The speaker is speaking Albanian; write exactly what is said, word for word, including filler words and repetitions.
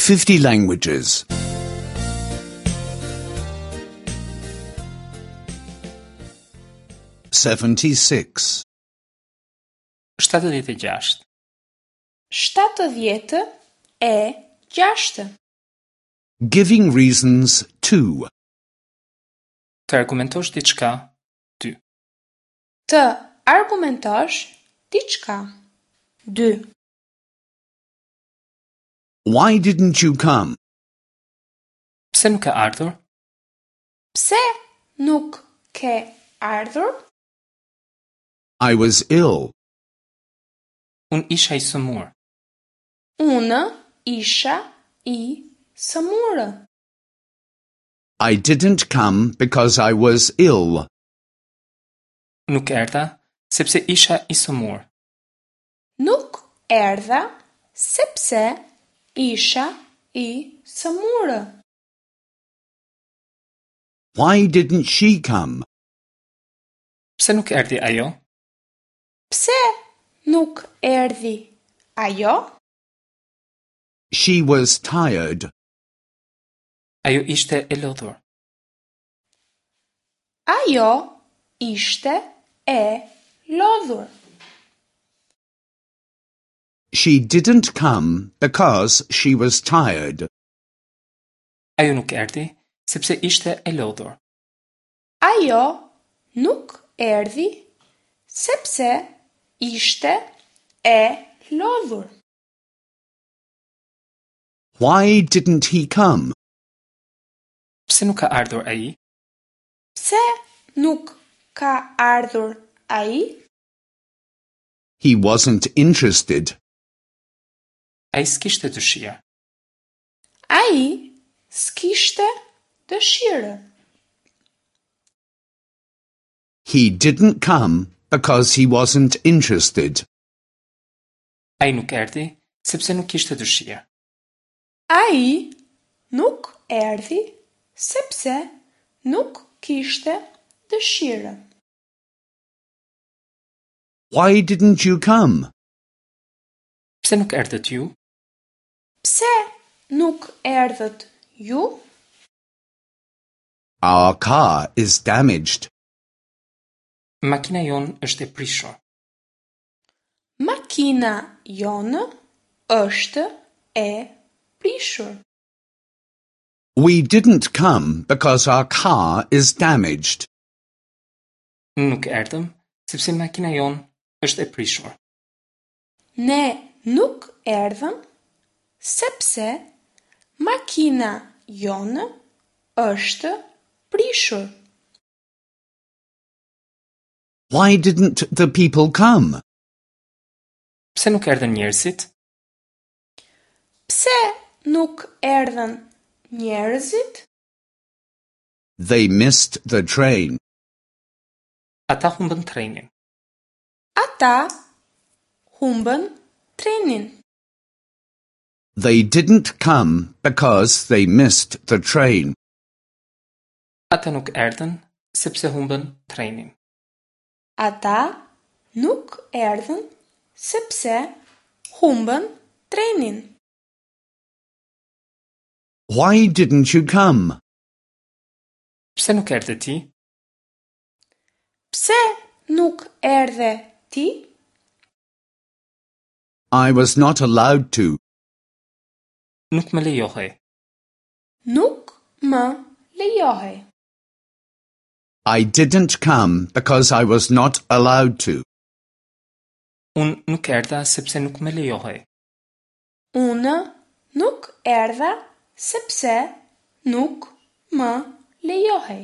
fifty languages. seventy-six. shtatëdhjetë e gjashtë. Shtatëdhjetë e gjashtë. Giving reasons two. Të argumentosh diçka, dy. Të argumentosh diçka. Dy. Why didn't you come? Pse nuk ke ardhur? Pse nuk ke ardhur? I was ill. Unë isha i sëmurë. Unë isha i sëmurë. I didn't come because I was ill. Nuk erdha sepse isha i sëmurë. Nuk erdha sepse isha i sëmurë. Why didn't she come? Pse nuk erdhi ajo? Pse nuk erdhi ajo? She was tired. Ajo ishte e lodhur. Ajo ishte e lodhur. She didn't come because she was tired. Ajo nuk erdhi sepse ishte e lodhur. Ajo nuk erdhi sepse ishte e lodhur. Why didn't he come? Pse nuk ka ardhur ai? Pse nuk ka ardhur ai? He wasn't interested. Ai s'kishte dëshirë. Ai s'kishte dëshirë. He didn't come because he wasn't interested. Ai nuk erdhi sepse nuk kishte dëshirë. Ai nuk erdhi sepse nuk kishte dëshirë. Why didn't you come? Pse nuk erdhët ju? Pse nuk erdhët ju? Our car is damaged. Makina jonë është e prishur. Makina jonë është e prishur. We didn't come because our car is damaged. Nuk erdhëm sepse makina jonë është e prishur. Ne nuk erdhëm sepse makina jonë është prishur. Why didn't the people come? Pse nuk erdhën njerëzit? Pse nuk erdhën njerëzit? They missed the train. Ata humbën trenin. Ata humbën trenin. They didn't come because they missed the train. Ata nuk erdhën sepse humbën trenin. Ata nuk erdhën sepse humbën trenin. Why didn't you come? Pse nuk erdhe ti? Pse nuk erdhe ti? I was not allowed to. Nuk më lejohej. Nuk më lejohej. I didn't come because I was not allowed to. Unë nuk erdha sepse nuk më lejohej. Unë nuk erdha sepse nuk më lejohej.